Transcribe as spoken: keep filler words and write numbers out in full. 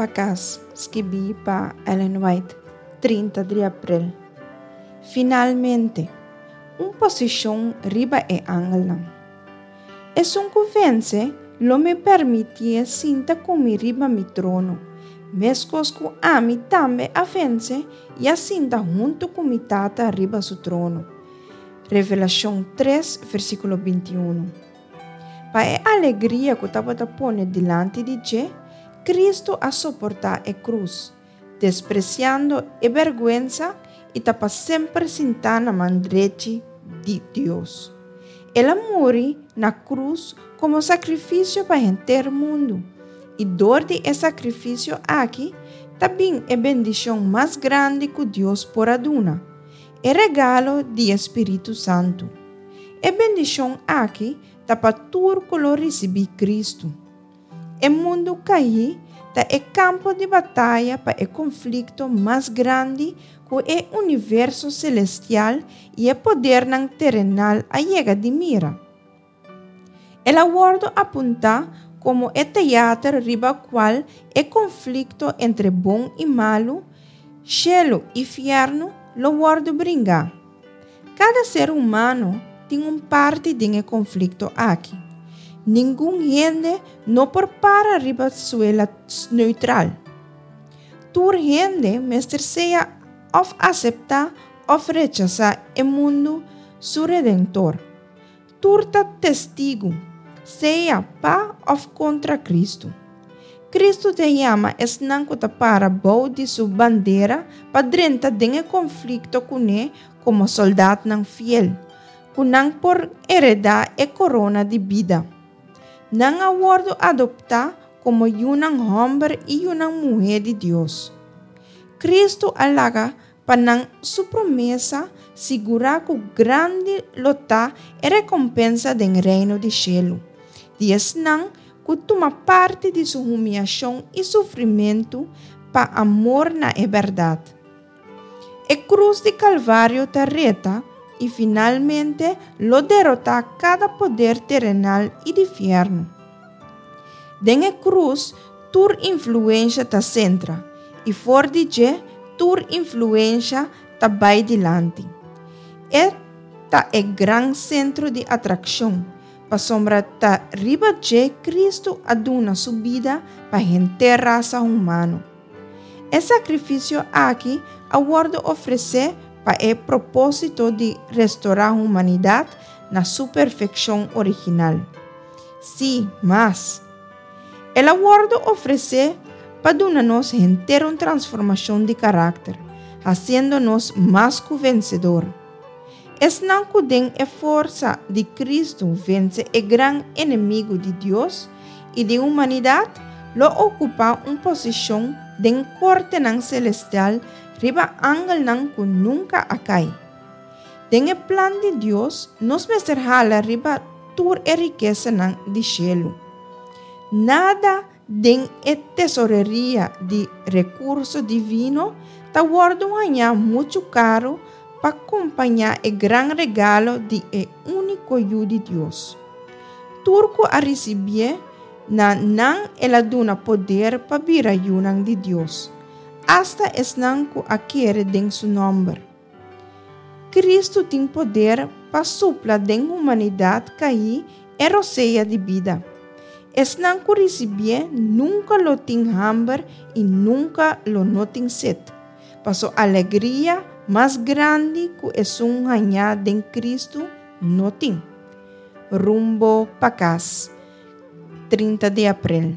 pa Kas, skibí pa Ellen White, trinta di aprel. Finalmente, un posishon riba e angelnan. Esun ku vense, lo mi permitié sinta ku mi riba mi trono, meskos ku ami tambe a vense i a sinta huntu ku mi Tata riba su trono. Revelashon tres, versíkulo binti unu. Pa e alegria ku tabata pone dilanti di dje, Kristu a soportá e krus, despresiando e bèrgwensa i ta pa semper sintá na man drechi di Dios. El a muri na krus komo sakrifisio pa henter mundu, i dor di e sakrifisio aki ta bin e bendishon mas grandi ku Dios por a duna, e regalo di e Spiritu Santu. E bendishon aki ta pa tur ku lo risibí Kristu. E mundu kaí ta e kampo di bataya pa e konflikto mas grandi ku e universo selestial i e podernan terenal a yega di mira. El a wòrdu apuntá komo e teater riba kual e konflikto entre bon i malu, shelu i fièrnu lo wòrdu bringá. Kada ser humano tin un parti den e konflikto aki. Ningun hende no por para riba suela neutral. Tur hende mester sea òf aseptá òf rechasá e mundu su Redentor. Tur ta testigu, sea pa òf kontra Kristu. Kristu ta yama esnan ku ta para bou di su bandera pa drenta den e konflikto kuné komo sòldatnan fiel, ku nan por heredá e korona di bida. Nan a wòrdu adoptá komo yunan hòmber i yunan muhé di Dios. Kristu a laga pa nan su promesa sigurá ku grandi lo ta e rekompensa den Reino di shelu, di esnan ku tuma parti di su humiashon i sufrimentu pa amor na e bèrdat. E krus di Kalvario ta reta i finalmente lo derotá kada poder terenal i di fièrnu. Den e krus tur influensha ta sentra i for di dje tur influensha ta bai dilanti. E ta e gran sentro di atrakshon, pasobra ta riba dje Kristu a duna su bida pa henter rasa humano. E sakrifisio aki a wòrdu ofresé pa e propósito di restorá humanidat na su perfekshon original. Sí, mas. El a wòrdu ofresé pa duna nos henter un transformashon di karakter, hasiendo nos mas ku vensedor. Esnan ku den e forsa di Kristu vense e gran enemigu di Dios i di humanidat lo okupá un posishon den kortenan selestial riba angelnan ku nunka a kai. Den e plan di Dios nos mester hala riba tur e rikesanan di shelu. Nada den e tesoreria di rekurso divino ta wòrdu hañá muchu karu pa kompañá e gran regalo di e úniko Yu di Dios. Tur ku a risibié, na nan el a duna poder pa bira yunan di Dios, asta esnan ku a kere den su nòmber. Kristu tin poder pa supla den humanidat kaí e rosea di bida. Esnan ku risibié nunka lo tin hamber i nunka lo no tin set, paso alegria mas grandi ku esun hañá den Kristu no tin. Rumbo pa Kas, trinta di aprel.